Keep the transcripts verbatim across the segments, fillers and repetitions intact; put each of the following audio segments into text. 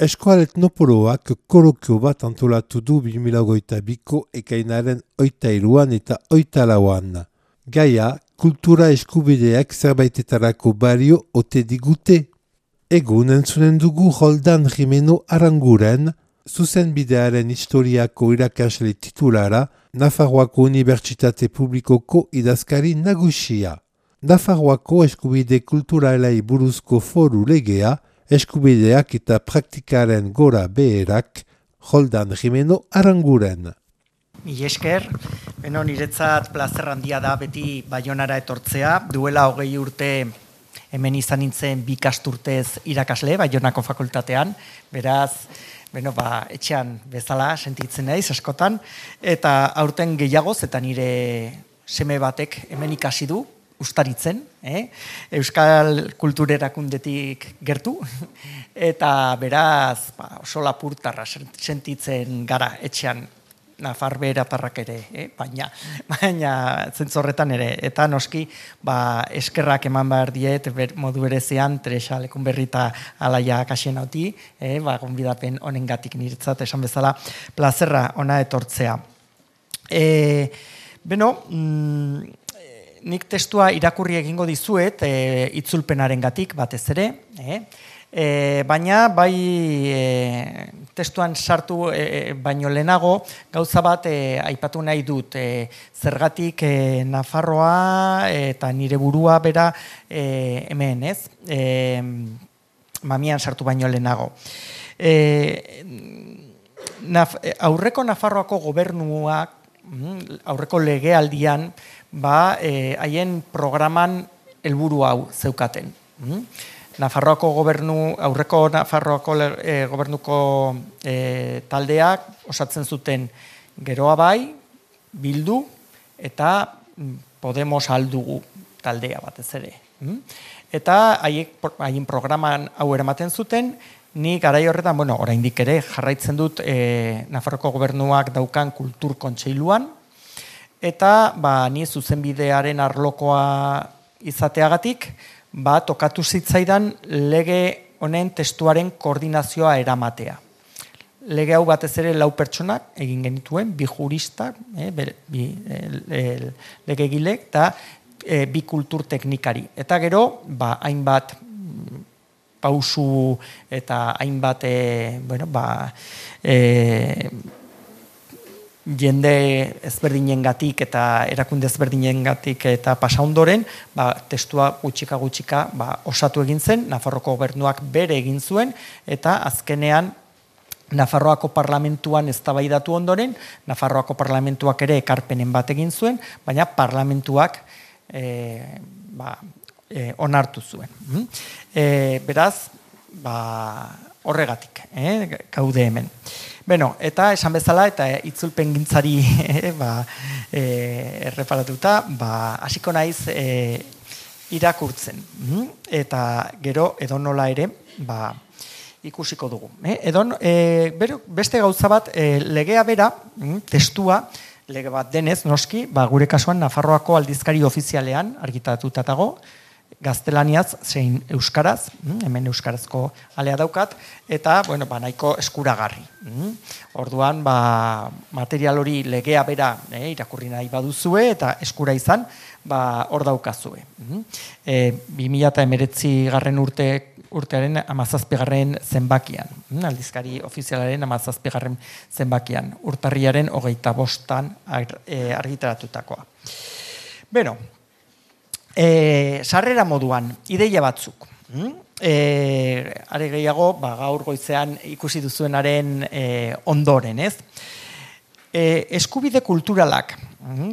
Eskoal Etnopoloak kolokio bat antolatu du bi mila hogeita biko ekainaren oita iruan eta oita lauan. Gaia, kultura eskubideak zerbaitetarako balio ote digute. Egun entzunen dugu Roldan Jimeno Aranguren, zuzenbidearen historiako irakasle titulara, Nafarroako Unibertsitate Publikoko idazkari nagusia. Nafarroako eskubide kulturalei buruzko foru legea, eskubideak eta praktikaren gora beherak, Roldan Jimeno Aranguren. Mila esker, beno niretzat plazer handia da beti Baionara etortzea, duela hogei urte hemen izan nintzen bi ikasturtez irakasle Baionako fakultatean, beraz, beno, ba, etxean bezala sentitzen naiz askotan, eta aurten gehiagoz eta nire seme batek hemen ikasi du, ustaritzen, eh? Euskal kulturerakundetik gertu, eta beraz ba, oso lapurtarra sentitzen gara etxean, Nafar beheratarrak ere, eh? baina, baina zentzorretan ere, eta noski ba, eskerrak eman behar diet ber, modu berezian Teresa Lekunberrita alaia kasien hauti, eh? ba, gonbidapen honengatik niretzat esan bezala plazerra ona etortzea. E, beno, mm, nik testua irakurri egingo dizuet, e, itzulpenaren gatik batez ere, eh? e, baina bai e, testuan sartu e, baino lehenago, gauza bat e, aipatu nahi dut, e, zergatik e, Nafarroa eta nire burua bera e, hemen, ez? E, mamian sartu baino lehenago. E, naf, aurreko Nafarroako gobernuak, aurreko legealdian, ba, haien e, programan helburu hau zeukaten. Mm? Nafarroako gobernu, aurreko Nafarroako e, gobernuko e, taldeak osatzen zuten Geroa bai, Bildu eta Podemos aldugu taldea batez ere. Mm? Eta haien programan hau eramaten zuten, ni garai horretan, bueno, oraindik ere jarraitzen dut e, Nafarroako gobernuak daukan kultur kontseiluan, eta ba, ni zuzenbidearen arlokoa izateagatik, ba, tokatu zitzaidan lege honen testuaren koordinazioa eramatea. Lege hau batez ere lau pertsonak egin genituen, bi juristak, eh, bi e, legegilek, eta e, bi kultur teknikari. Eta gero, ba, hainbat pausu eta hainbat e, bueno, ba, e, jende ezberdinengatik eta erakunde ezberdinengatik eta pasa ondoren, ba, testua gutxika gutxika ba, osatu egin zen, Nafarroako gobernuak bere egin zuen, eta azkenean Nafarroako parlamentuan eztabaidatu ondoren, Nafarroako parlamentuak ere ekarpenen bat egin zuen, baina parlamentuak e, ba, e, onartu zuen. E, beraz, ba, horregatik, eh, gaude hemen. Beno, eta esan bezala, eta itzulpen gintzari eh, ba, eh, erreparatuta, ba, hasiko naiz eh, irakurtzen. Eta gero edonola ere, ba, ikusiko dugu. Eh? Edon, eh, bero, beste gauza bat, eh, legea bera, testua, lege bat denez, noski, ba, gure kasuan Nafarroako aldizkari ofizialean argitatuta dago, gaztelaniaz zein euskaraz, hemen euskarazko alea daukat, eta bueno, ba, nahiko eskuragarri. Orduan, ba, material hori legea bera eh, irakurri nahi baduzue eta eskura izan, ba, hor daukazue. E, bi mila hemeretzi garren urte, urtearen hamazazpigarren zenbakian, aldizkari ofizialaren hamazazpigarren zenbakian, urtarriaren hogeita bostan argitaratutakoa. Beno, E, sarrera moduan, ideia batzuk. E, are gehiago, ba, gaur goizean ikusi duzuenaren e, ondoren, ez? E, eskubide kulturalak,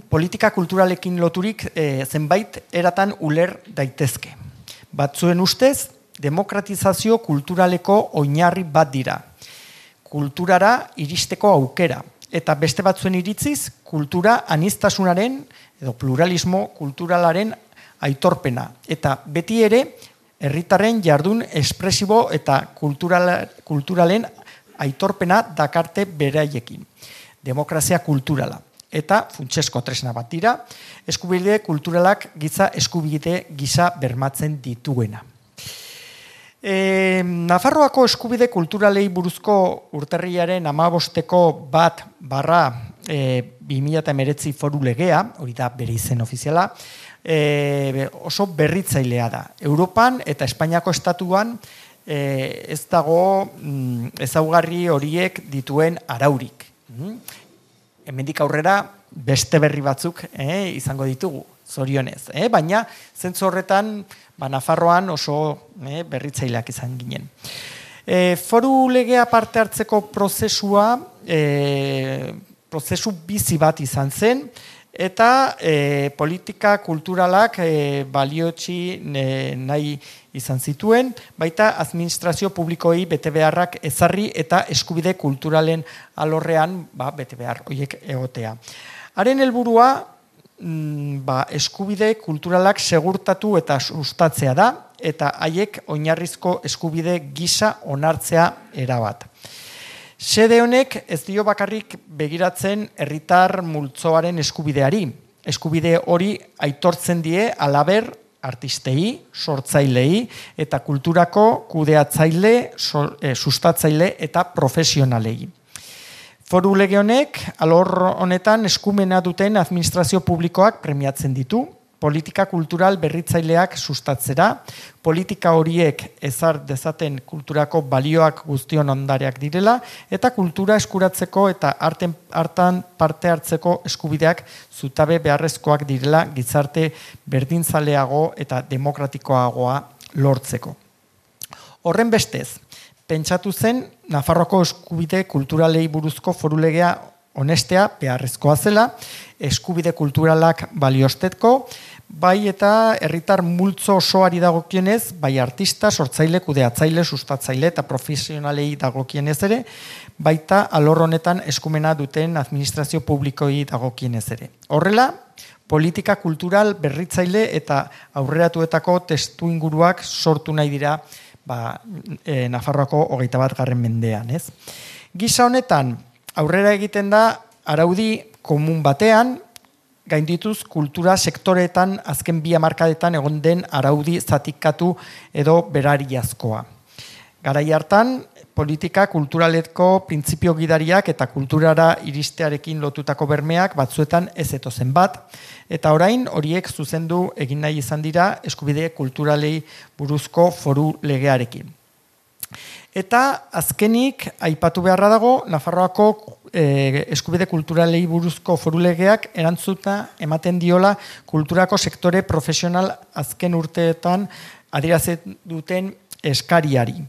politika kulturalekin loturik e, zenbait eratan uler daitezke. Batzuen ustez, demokratizazio kulturaleko oinarri bat dira. Kulturara iristeko aukera. Eta beste batzuen iritziz, kultura aniztasunaren edo pluralismo kulturalaren aitorpena, eta beti ere herritarren jardun espresibo eta kultural, kulturalen aitorpena dakarte beraiekin. Demokrazia kulturala. Eta funtsezko tresna bat dira, eskubide kulturalak giza eskubide gisa bermatzen dituena. E, Nafarroako eskubide kulturalei buruzko urtarrilaren hamabosteko bat barra e, bi mila hemeretzi foru legea, hori da bere izen ofiziala, e, oso berritzailea da. Europan eta Espainiako estatuan e, ez dago mm, ezaugarri horiek dituen araurik. Mm? Hemendik aurrera beste berri batzuk eh, izango ditugu, zorionez. Eh? Baina zentzu horretan ba, Nafarroan oso eh, berritzaileak izan ginen. E, foru legea parte hartzeko prozesua, e, prozesu bizi bat izan zen, eta e, politika kulturalak e, baliotsi e, nahi izan zituen, baita administrazio publikoei bete beharrak ezarri eta eskubide kulturalen alorrean ba, bete behar horiek egotea. Haren helburua ba, eskubide kulturalak segurtatu eta sustatzea da, eta haiek oinarrizko eskubide gisa onartzea erabat. Xede honek ez dio bakarrik begiratzen herritar multzoaren eskubideari. Eskubide hori aitortzen die halaber artistei, sortzailei eta kulturako kudeatzaile, sustatzaile eta profesionalei. Foru lege honek, alor honetan eskumena duten administrazio publikoak premiatzen ditu, politika kultural berritzaileak sustatzera, politika horiek ezar dezaten kulturako balioak guztion ondareak direla, eta kultura eskuratzeko eta arten, hartan parte hartzeko eskubideak zutabe beharrezkoak direla gizarte berdinzaleago eta demokratikoagoa lortzeko. Horren bestez, pentsatu zen Nafarroako eskubide kulturalei buruzko foru legea onestea beharrezkoa zela, eskubide kulturalak baliostetko, bai eta herritar multzo osoari dagokienez, bai artista, sortzaile, kudeatzaile, sustatzaile eta profesionalei dagokienez ere, baita alor honetan eskumena duten administrazio publikoi dagokienez ere. Horrela, politika kultural berritzaile eta aurreratuetako testu inguruak sortu nahi dira ba, e, Nafarroako hogeita bat garren mendean. Ez? Gisa honetan, aurrera egiten da araudi komun batean, gaindituz kultura sektoreetan azken bi hamarkadetan egon den araudi zatikatu edo berariazkoa. Garai hartan, politika kulturaleko printzipio gidariak eta kulturara iristearekin lotutako bermeak batzuetan ez etozen bat, eta orain horiek zuzendu egin nahi izan dira eskubide kulturalei buruzko foru legearekin. Eta azkenik, aipatu beharra dago, Nafarroako eh, eskubide kulturalei buruzko foru legeak erantzuta ematen diola kulturako sektore profesional azken urteetan adierazten duten eskariari.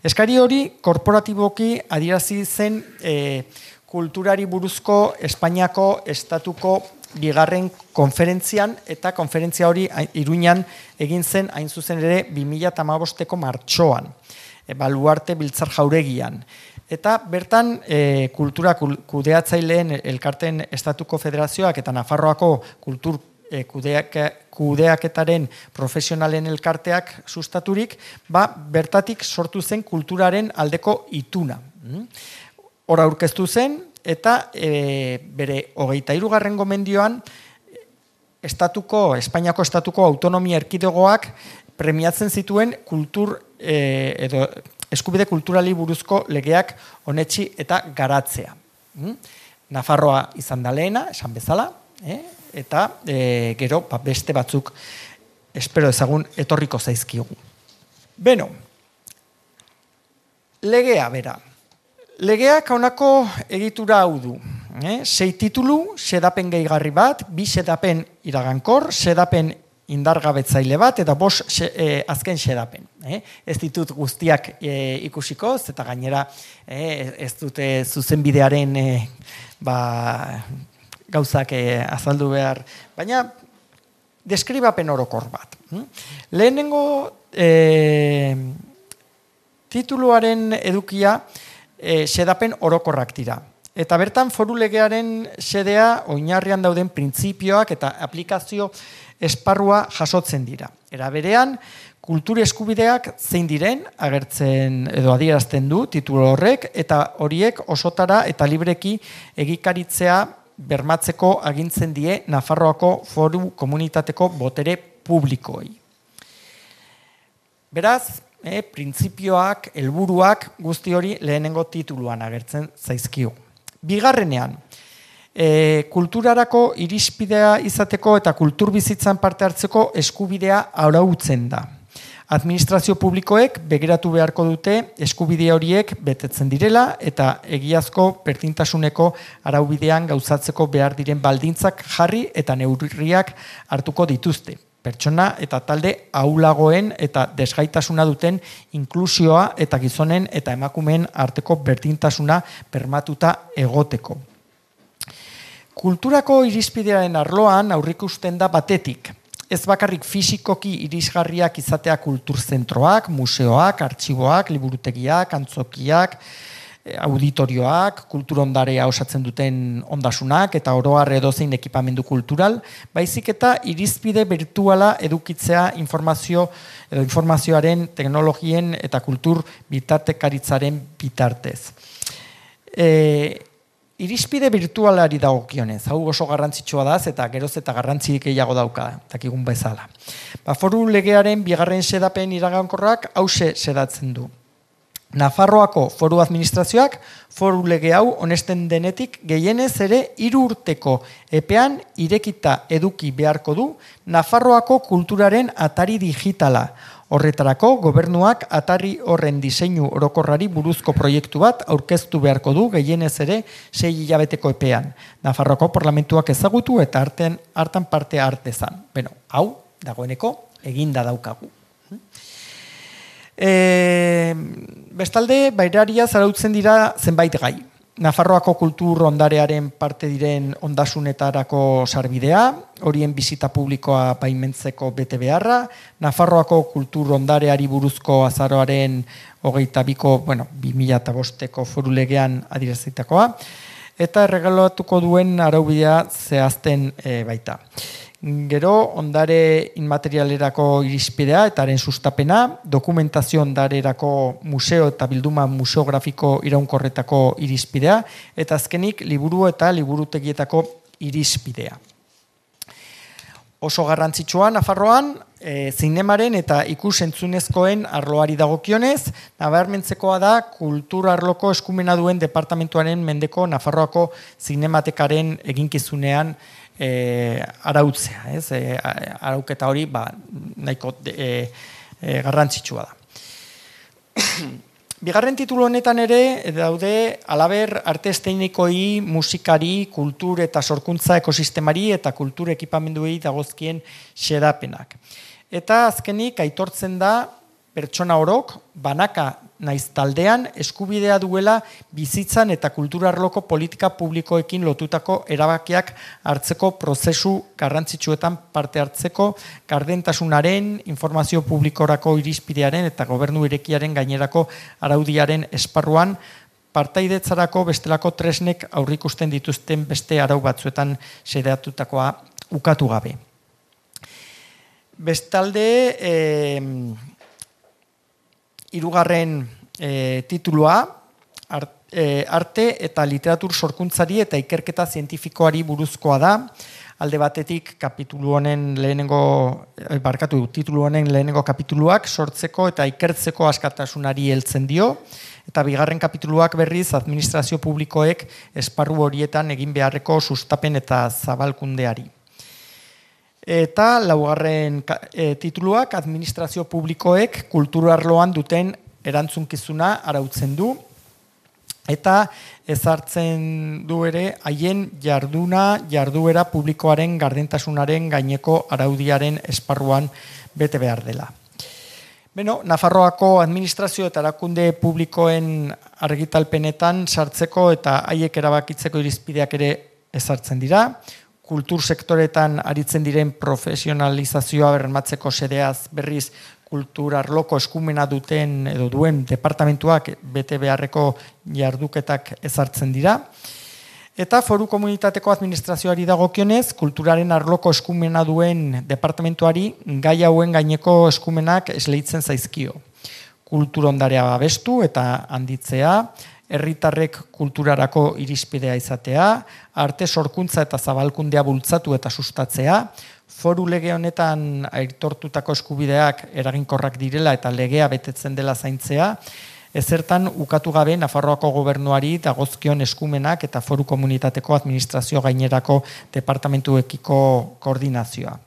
Eskari hori korporatiboki adierazi zen e, kulturari buruzko Espainiako estatuko bigarren konferentzian, eta konferentzia hori Iruñan egin zen hain zuzen ere bi mila hamabosteko martxoan, e, Baluarte Biltzar Jauregian. Eta bertan e, kultura kudeatzaileen elkarteen estatuko federazioak eta Nafarroako kultur Kudeak, kudeaketaren profesionalen elkarteak sustaturik, ba, bertatik sortu zen kulturaren aldeko ituna. Hor aurkeztu zen, eta e, bere hogeita hirugarren gomendioan estatuko, Espainiako estatuko autonomia erkidegoak premiatzen zituen kultur e, edo eskubide kulturali buruzko legeak onetsi eta garatzea. Nafarroa izan da lehena, esan bezala, eh? eta e, gero ba, beste batzuk espero ezagun etorriko zaizkigu. Beno, legea bera. Legeak honako egitura hau du. Eh? Sei titulu, xedapen gehigarri bat, bi xedapen iragankor, xedapen indargabetzaile bat, eta bos xe, e, azken xedapen. Eh? Ez ditut guztiak e, ikusiko, eta gainera e, ez dute zuzenbidearen e, ba, gauzak eh, azaldu behar, baina deskribapen orokor bat. Lehenengo eh, tituluaren edukia eh, xedapen orokorrak dira. Eta bertan foru legearen xedea oinarrian dauden printzipioak eta aplikazio esparrua jasotzen dira. Era berean, kultur eskubideak zein diren agertzen edo adierazten du titulu horrek, eta horiek osotara eta libreki egikaritzea bermatzeko agintzen die Nafarroako foru komunitateko botere publikoei. Beraz, e, printzipioak, helburuak guzti hori lehenengo tituluan agertzen zaizkigu. Bigarrenean, e, kulturarako irizpidea izateko eta kultur bizitzan parte hartzeko eskubidea arautzen da. Administrazio publikoek begiratu beharko dute eskubide horiek betetzen direla eta egiazko berdintasuneko araubidean gauzatzeko behar diren baldintzak jarri eta neurriak hartuko dituzte. Pertsona eta talde ahulagoen eta desgaitasuna duten inklusioa eta gizonen eta emakumeen arteko berdintasuna bermatuta egoteko. Kulturako irizpidearen arloan aurrikusten da batetik. Ez bakarrik fisikoki irisgarriak izatea kulturzentroak, museoak, artxiboak, liburutegiak, antzokiak, auditorioak, kulturondarea osatzen duten ondasunak eta oro har edozein ekipamendu kultural, baizik eta irizpide virtuala edukitzea informazio edo informazioaren, teknologien eta kultur bitartekaritzaren bitartez. E, Irizpide virtualari dagokionez, hau oso garrantzitsua da, eta geroz eta garrantzirik gehiago dauka, dakigun bezala. Ba, foru legearen bigarren xedapen iragankorrak hause xedatzen du. Nafarroako foru administrazioak foru lege hau onesten denetik gehienez ere hiru urteko epean irekita eduki beharko du Nafarroako kulturaren atari digitala. Horretarako, gobernuak atari horren diseinu orokorrari buruzko proiektu bat aurkeztu beharko du gehienez ere sei hilabeteko epean. Nafarroako parlamentuak ezagutu eta arten, hartan parte hartezan. Beno, hau, dagoeneko, eginda daukagu. E, bestalde, bairaria zarautzen dira zenbait gai. Nafarroako kultur ondarearen parte diren ondasunetarako sarbidea, horien bizita publikoa baimentzeko bete beharra, Nafarroako kultur ondareari buruzko azaroaren hogeita biko, bueno, bi mila bosteko foru legean adierazitakoa, eta erregalatuko duen araubidea zehazten e, baita. Gero, ondare inmaterialerako irizpidea eta haren sustapena, dokumentazio ondarerako museo eta bilduma museografiko iraunkorretako irizpidea, eta azkenik liburu eta liburutegietako irizpidea. Oso garrantzitsua Nafarroan, e, zinemaren eta ikus-entzunezkoen arloari dagokionez, nabarmentzekoa da kultur arloko eskumena duen departamentuaren mendeko Nafarroako zinematekaren eginkizunean E, arautzea, ez? E, arauketa hori ba, nahiko e, e, garrantzitsua da. Bigarren titulu honetan ere daude halaber arte estenikoi, musikari, kultur eta sorkuntza ekosistemari eta kultur ekipamenduei dagozkien xedapenak. Eta azkenik aitortzen da pertsona orok, banaka naiz taldean, eskubidea duela bizitzan eta kulturarloko politika publikoekin lotutako erabakiak hartzeko prozesu garrantzitsuetan parte hartzeko, gardentasunaren, informazio publikorako irizpidearen eta gobernu irekiaren gainerako araudiaren esparruan, partaidetzarako bestelako tresnek aurrikusten dituzten beste arau batzuetan xedeatutakoa ukatu gabe. Bestalde, eh, hirugarren e, titulua, art, e, arte eta literatur sorkuntzari eta ikerketa zientifikoari buruzkoa da. Alde batetik kapitulu honen lehenengo, e, barkatu, titulu honen lehenengo kapituluak sortzeko eta ikertzeko askatasunari heltzen dio, eta bigarren kapituluak berriz administrazio publikoek esparru horietan egin beharreko sustapen eta zabalkundeari. Eta laugarren e, tituluak administrazio publikoek kultur arloan duten erantzunkizuna arautzen du eta ezartzen du ere haien jarduna, jarduera publikoaren gardentasunaren gaineko araudiaren esparruan bete behar dela. Beno, Nafarroako administrazio eta erakunde publikoen argitalpenetan sartzeko eta haiek erabakitzeko irizpideak ere ezartzen dira. Kultur sektoretan aritzen diren profesionalizazioa bermatzeko xedeaz berriz kultur arloko eskumena duten edo duen departamentuak bete beharreko jarduketak ezartzen dira. Eta foru komunitateko administrazioari dagokionez, kulturaren arloko eskumena duen departamentuari gai hauen gaineko eskumenak esleitzen zaizkio. Kultur ondarea babestu eta handitzea, herritarrek kulturarako irizpidea izatea, arte sorkuntza eta zabalkundea bultzatu eta sustatzea, foru lege honetan aitortutako eskubideak eraginkorrak direla eta legea betetzen dela zaintzea, ezertan ukatu gabe Nafarroako gobernuari dagozkion eskumenak eta foru komunitateko administrazio gainerako departamentuekiko koordinazioa.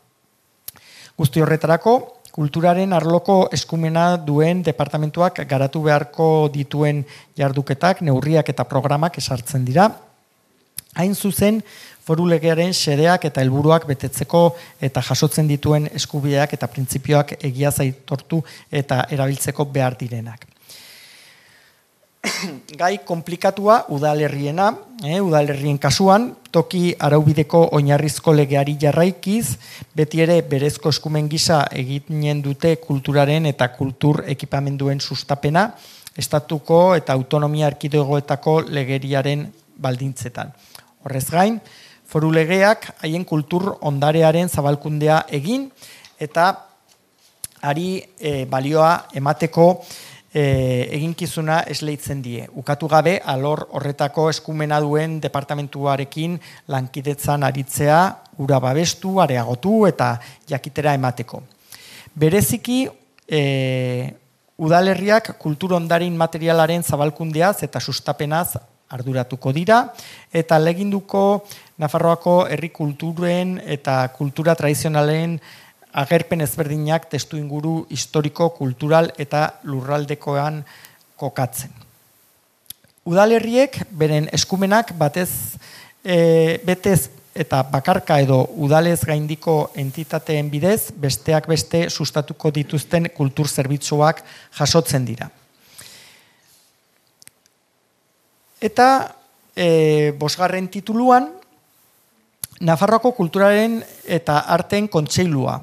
Guzti horretarako, kulturaren arloko eskumena duen departamentuak garatu beharko dituen jarduketak, neurriak eta programak esartzen dira. Hain zuzen, foru legearen xedeak eta helburuak betetzeko eta jasotzen dituen eskubideak eta printzipioak egiaz aitortu eta erabiltzeko behar direnak. Gai konplikatua udalerriena, eh, udalerrien kasuan, toki araubideko oinarrizko legeari jarraikiz, beti ere berezko eskumen gisa eginen dute kulturaren eta kultur ekipamenduen sustapena, estatuko eta autonomia erkidegoetako legeriaren baldintzetan. Horrez gain, foru legeak haien kultur ondarearen zabalkundea egin eta ari e, balioa emateko E, eginkizuna esleitzen die. Ukatu gabe, alor horretako eskumena duen departamentuarekin lankidetzan aritzea, ura babestu, areagotu eta jakitera emateko. Bereziki, e, udalerriak kultur ondarin materialaren zabalkundeaz eta sustapenaz arduratuko dira, eta leginduko Nafarroako herri kulturen eta kultura tradizionalen agerpen ezberdinak testu inguru historiko, kultural eta lurraldekoan kokatzen. Udalerriek beren eskumenak batez, e, betez eta bakarka edo udalez gaindiko entitateen bidez, besteak beste sustatuko dituzten kultur zerbitzuak jasotzen dira. Eta e, bosgarren tituluan, Nafarroako kulturaren eta arteen kontseilua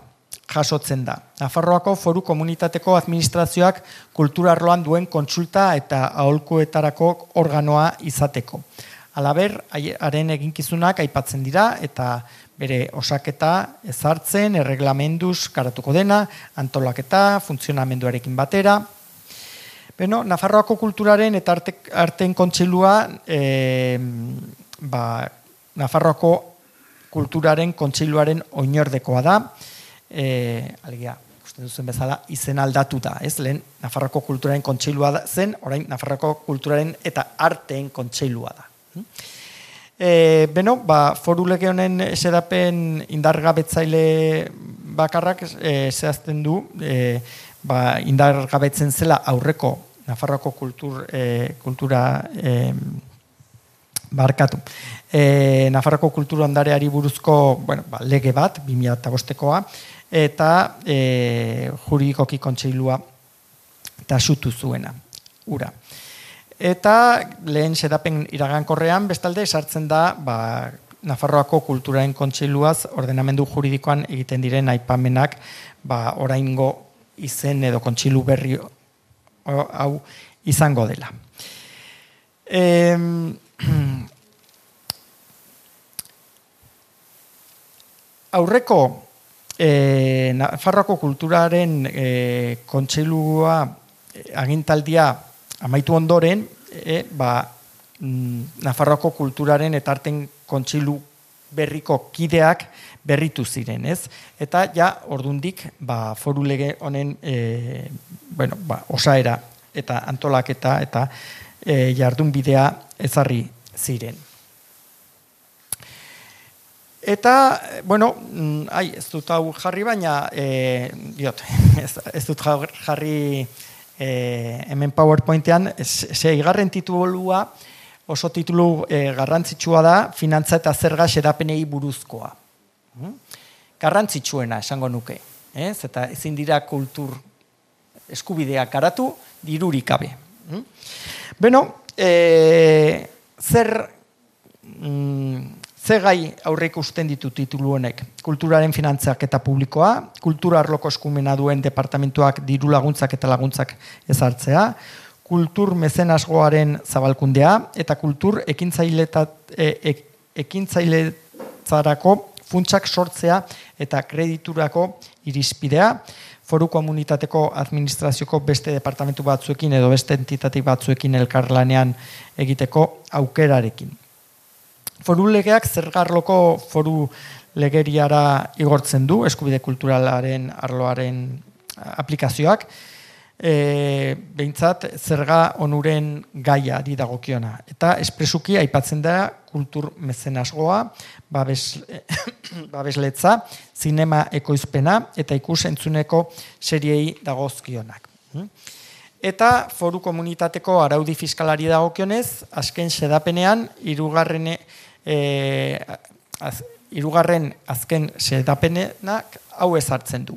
jasotzen da. Nafarroako foru komunitateko administrazioak kultura arloan duen kontsulta eta aholkuetarako organoa izateko. Halaber, haren eginkizunak aipatzen dira eta bere osaketa ezartzen, erreglamenduz garatuko dena, antolaketa, funtzionamenduarekin batera. Beno, Nafarroako kulturaren eta arte, arteen kontseilua e, ba, Nafarroako kulturaren kontseiluaren oinordekoa da. E, alegia, ikusten duzen bezala, izen aldatu da, ez? Lehen Nafarroako kulturaren kontseilua da, zen, orain Nafarroako kulturaren eta arteen kontseilua da. E, beno, ba, foru lege honen esedapen indargabetzaile bakarrak e, zehazten du, e, ba, indargabetzen zela aurreko Nafarroako kultur, e, kultura e, barkatu. E, Nafarroako kultura ondareari buruzko bueno, ba, lege bat, bi mila bostekoa, eta e, juridikoki kontseilua taxutu zuena, ura. Eta lehen xedapen iragankorrean, bestalde, sartzen da ba, Nafarroako kulturaren kontseiluaz ordenamendu juridikoan egiten diren aipamenak ba, oraingo izen edo kontseilu berri hau izango dela. E, aurreko e, Nafarroako kulturaren e, kontseilua e, agintaldia amaitu ondoren, e, ba, Nafarroako kulturaren eta arten kontseilu berriko kideak berritu ziren, ez? Eta ja ordundik ba, foru lege honen e, bueno, ba, osaera eta antolaketa eta e, jardunbidea ezarri ziren. Eta, bueno, ai, ez dut hau jarri, baina, e, diot, ez, ez dut jarri e, hemen PowerPointean, seigarren titulua oso titulu e, garrantzitsua da, finantza eta zerga xedapenei buruzkoa. Hmm? Garrantzitsuena esango nuke, ez? Eta ezin dira kultur eskubideak garatu, dirurik gabe. Hmm? Beno, e, zer... Mm, Ze gai aurre ikusten ditu titulu honek? Kulturaren finantzak eta publikoa, kultura arloko eskumena duen departamentuak diru laguntzak eta laguntzak ezartzea, kultur mezenasgoaren zabalkundea eta kultur ekintzailetzarako funtsak sortzea eta krediturako irizpidea, foru komunitateko administrazioko beste departamentu batzuekin edo beste entitate batzuekin elkarlanean egiteko aukerarekin. Foru legeak zergarloko foru legeriara igortzen du, eskubide kulturalaren arloaren aplikazioak, e, behintzat zerga onuren gaiari dagokiona. Eta espresuki aipatzen da kultur mezenasgoa, babes, babesletza, zinema ekoizpena eta ikus entzuneko seriei dagozkionak. Eta foru komunitateko araudi fiskalari dagokionez, azken sedapenean, irugarren, e, az, irugarren azken sedapenenak hau ezartzen du.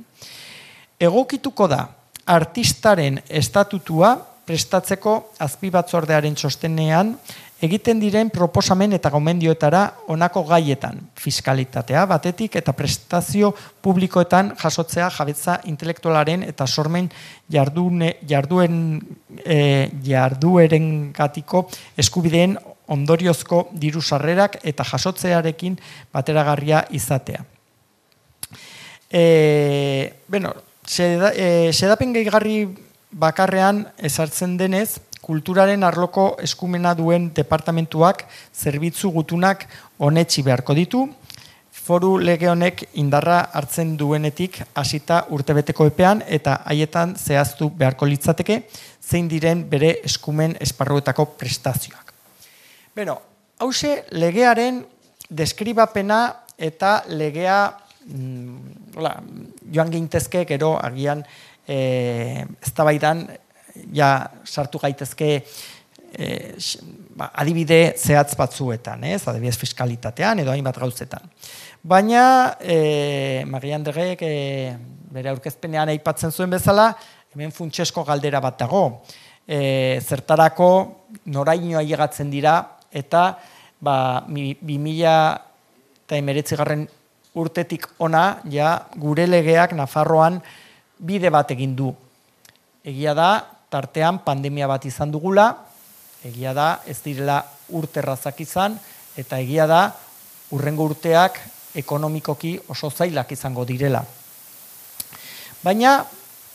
Egokituko da, artistaren estatutua prestatzeko azpibatzordearen txostenean egiten diren proposamen eta gomendioetara honako gaietan, fiskalitatea batetik eta prestazio publikoetan jasotzea jabetza intelektualaren eta sormen jardune, jarduen, e, jarduerengatiko eskubideen ondoriozko diru sarrerak eta jasotzearekin bateragarria izatea. E, bueno, seda, e, sedapen gehigarri bakarrean ezartzen denez, kulturaren arloko eskumena duen departamentuak zerbitzu gutunak onetsi beharko ditu, foru lege honek indarra hartzen duenetik hasita urtebeteko epean eta haietan zehaztu beharko litzateke zein diren bere eskumen esparruetako prestazioak. Beno, hause legearen deskribapena eta legea mm, hola, joan gintezke gero agian e, eztabaidan ja sartu gaitezke eh, ba, adibide zehatz batzuetan, ez? Adibidez fiskalitatean edo hainbat gauzetan. Baina eh, Mari Andreek eh, bere aurkezpenean aipatzen zuen bezala, hemen funtsesko galdera bat dago. E, zertarako noraino ailegatzen dira eta ba, bi mila hemeretzigarren urtetik ona ja gure legeak Nafarroan bide bat egin du. Egia da, tartean pandemia bat izan dugula, egia da ez direla urterrazak izan, eta egia da hurrengo urteak ekonomikoki oso zailak izango direla. Baina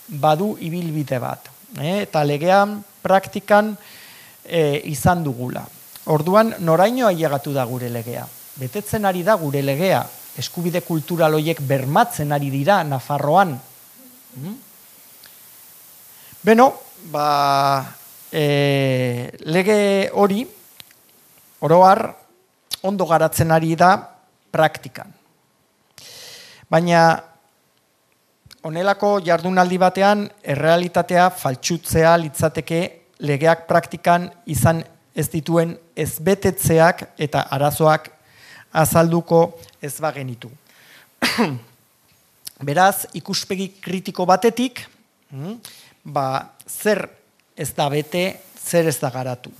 badu ibilbide bat, eh? Eta legean praktikan eh, izan dugula. Orduan noraino ailegatu da gure legea? Betetzen ari da gure legea, eskubide kultural horiek bermatzen ari dira Nafarroan. Hmm? Beno, ba, e, lege hori, oroar, ondo garatzen ari da praktikan. Baina, honelako jardunaldi batean, errealitatea faltsutzea litzateke legeak praktikan izan ez dituen ezbetetzeak eta arazoak azalduko ez bagenitu. Beraz, ikuspegi kritiko batetik, ba, zer ez da bete, zer ez da garatu.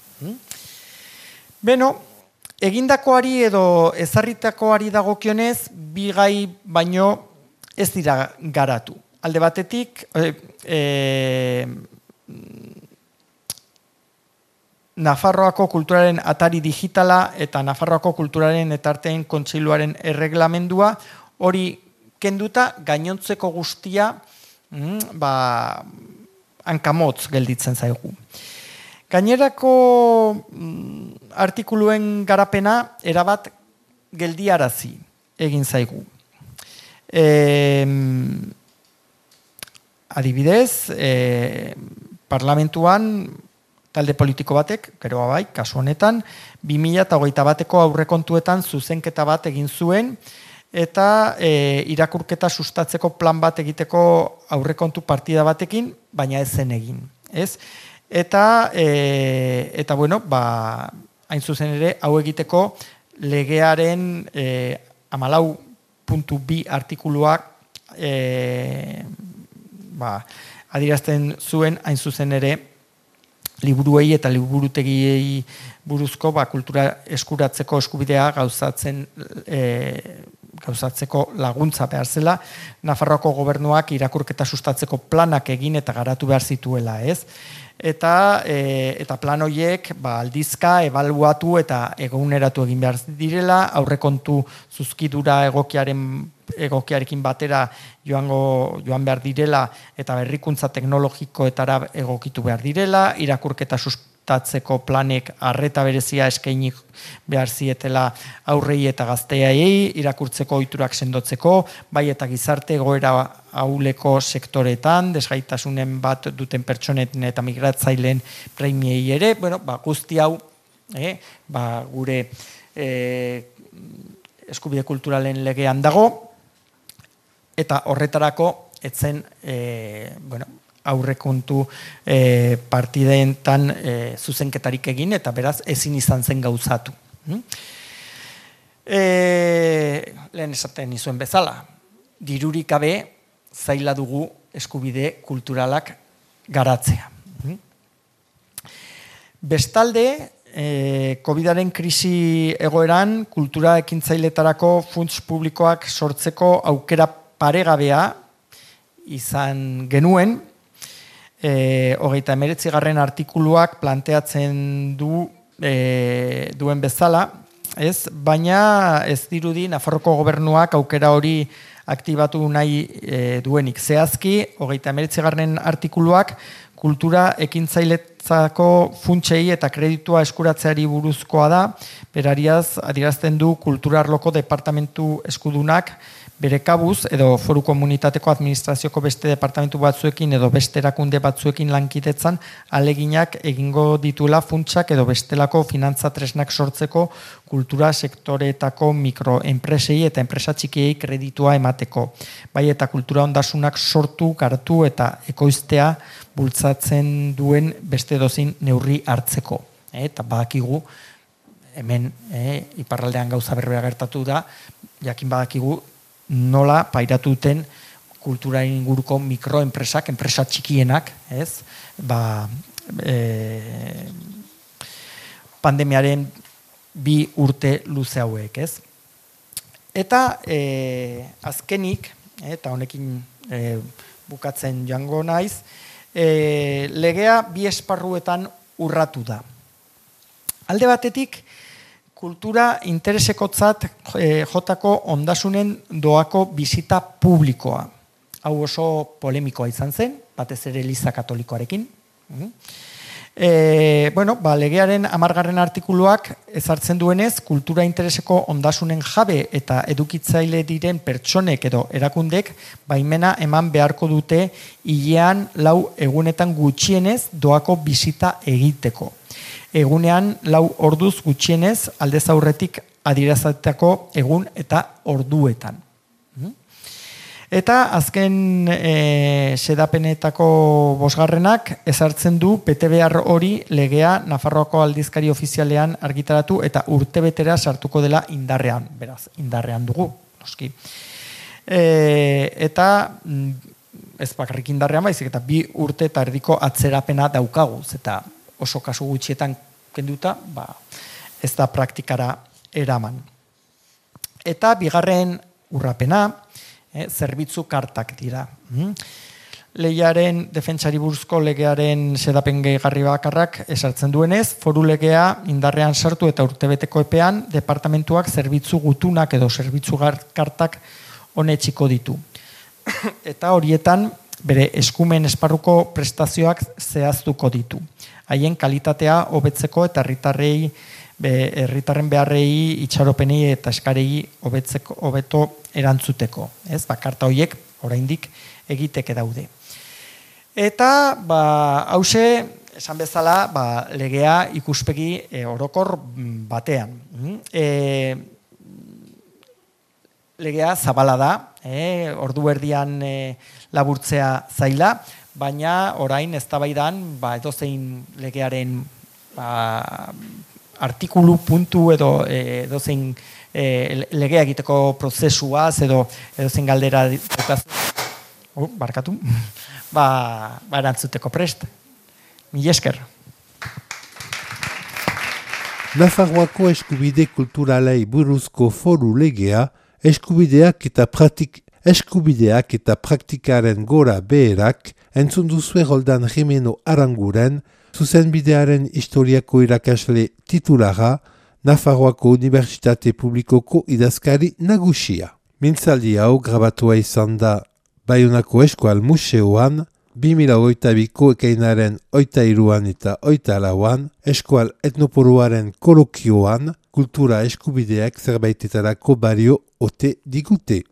Beno, egindakoari edo ezarritakoari dagokionez, bi gai baino ez dira garatu. Alde batetik, e, e, Nafarroako kulturaren atari digitala eta Nafarroako kulturaren etarteen kontseiluaren erreglamendua hori kenduta gainontzeko guztia mm, ba, hankamotz gelditzen zaigu. Gainerako mm, artikuluen garapena erabat geldiarazi egin zaigu. E, adibidez, e, parlamentuan talde politiko batek, gero bai, kasu honetan, bi mila hogeita bateko aurrekontuetan zuzenketa bat egin zuen, eta e, irakurketa sustatzeko plan bat egiteko aurrekontu partida batekin, baina ez zen egin. Ez? Eta, e, eta bueno, ba, hain zuzen ere, hau egiteko legearen e, hamalau puntu bi artikuluak e, ba, adierazten zuen hain zuzen ere liburuei eta liburutegiei buruzko ba, kultura eskuratzeko eskubidea gauzatzen e, gauzatzeko laguntza behar zela, Nafarroako gobernuak irakurketa sustatzeko planak egin eta garatu behar zituela, ez? Eta, e, eta plan horiek ba, aldizka, ebaluatu eta eguneratu egin behar direla, aurrekontu zuzkidura egokiaren egokiarekin batera joango, joan behar direla eta berrikuntza teknologikoetara egokitu behar direla, irakurketa sustatzeko sustatzeko planek arreta berezia eskaini behar zietela aurrei eta gazteai, irakurtzeko ohiturak sendotzeko, bai eta gizarte egoera ahuleko sektoretan, desgaitasunen bat duten pertsonetan eta migratzaileen premiei ere, bueno, ba, guzti hau, eh, ba, gure eh, eskubide kulturalen legean dago, eta horretarako etzen, eh, bueno, aurrekontu e, partidentan e, zuzenketarik egin, eta beraz ezin izan zen gauzatu. E, lehen esaten nizuen bezala, dirurik gabe zaila dugu eskubide kulturalak garatzea. Bestalde, e, COVIDaren krisi egoeran, kultura ekintzailetarako funts publikoak sortzeko aukera paregabea izan genuen, E, hogeita emeretzi garren artikuluak planteatzen du e, duen bezala, ez? Baina ez dirudi Nafarroko gobernuak aukera hori aktibatu nahi e, duenik. Zehazki, hogeita emeretzi garren artikuluak kultura ekintzailetzako funtsei eta kreditua eskuratzeari buruzkoa da, berariaz adierazten du kultura arloko departamentu eskudunak bere kabuz, edo foru komunitateko administrazioko beste departamentu batzuekin edo beste erakunde batzuekin lankidetzan aleginak egingo ditula funtsak edo bestelako finantza tresnak sortzeko kultura sektoreetako mikroenpresei eta enpresa txikiei kreditua emateko. Bai eta kultura ondasunak sortu, garatu eta ekoiztea bultzatzen duen beste dozin neurri hartzeko. E, eta badakigu, hemen e, iparraldean gauza berbera gertatu da, jakin badakigu, nola pairatu duten kultura inguruko mikroenpresak, enpresa txikienak, ez? Ba, e, pandemiaren bi urte luze hauek, ez? Eta e, azkenik, eta honekin e, bukatzen joango naiz, e, legea bi esparruetan urratu da. Alde batetik, kultura interesekotzat e, jotako ondasunen doako bizita publikoa. Hau oso polemikoa izan zen, batez ere Eliza Katolikoarekin. E, bueno, ba, legearen hamargarren artikuluak ezartzen duenez, kultura intereseko ondasunen jabe eta edukitzaile diren pertsonek edo erakundek baimena eman beharko dute hilean lau egunetan gutxienez doako bizita egiteko. Egunean lau orduz gutxienez aldez aurretik adierazateko egun eta orduetan. Eta azken e, sedapenetako bosgarrenak ezartzen du betebehar hori legea Nafarroako aldizkari ofizialean argitaratu eta urtebetera sartuko dela indarrean. Beraz, indarrean dugu, noski. E, eta ez bakarrik indarrean baizik, eta bi urte eta erdiko atzerapena daukaguz, eta oso kasu gutxietan kenduta, ba, ez da praktikara eraman. Eta bigarren urrapena, eh, zerbitzu kartak dira. Mm? Lehiaren defentsari buruzko legearen sedapen gehigarri bakarrak esartzen duenez, foru legea indarrean sartu eta urtebeteko epean, departamentuak zerbitzu gutunak edo zerbitzu kartak honetxiko ditu. Eta horietan, bere eskumen esparruko prestazioak zehaztuko ditu. Haien kalitatea hobetzeko eta herritarrei herritarren beharrei, itxaropenei eta eskarei hobetzeko hobeto erantzuteko, ez? Ba, karta horiek oraindik egiteke daude. Eta ba hause esan bezala, ba, legea ikuspegi e, orokor batean. E, legea zabala da, e, ordu erdian e, laburtzea zaila, baina orain eztabaidan ba edozein legearen ba, artikulu puntu edo e, edozein e, legea egiteko prozesuaz edo edozein galdera oh, barkatu ba, ba erantzuteko prest. Mil esker. Nafarroako eskubide kulturalei buruzko foru legea eskubideak eta praktik eskubideak eta praktikaren gora beherak entzun duzue Roldan Jimeno Aranguren, zuzenbidearen historiako irakasle titulara, Nafarroako Unibertsitate Publikoko idazkari nagusia. Mintzaldi hau grabatua izan da Baionako Eskual Museoan, bi mila hogeita biko ekainaren oita iruan eta oita lauan, eskual etnoporuaren kolokioan, kultura eskubideak zerbaitetarako bario ote digute.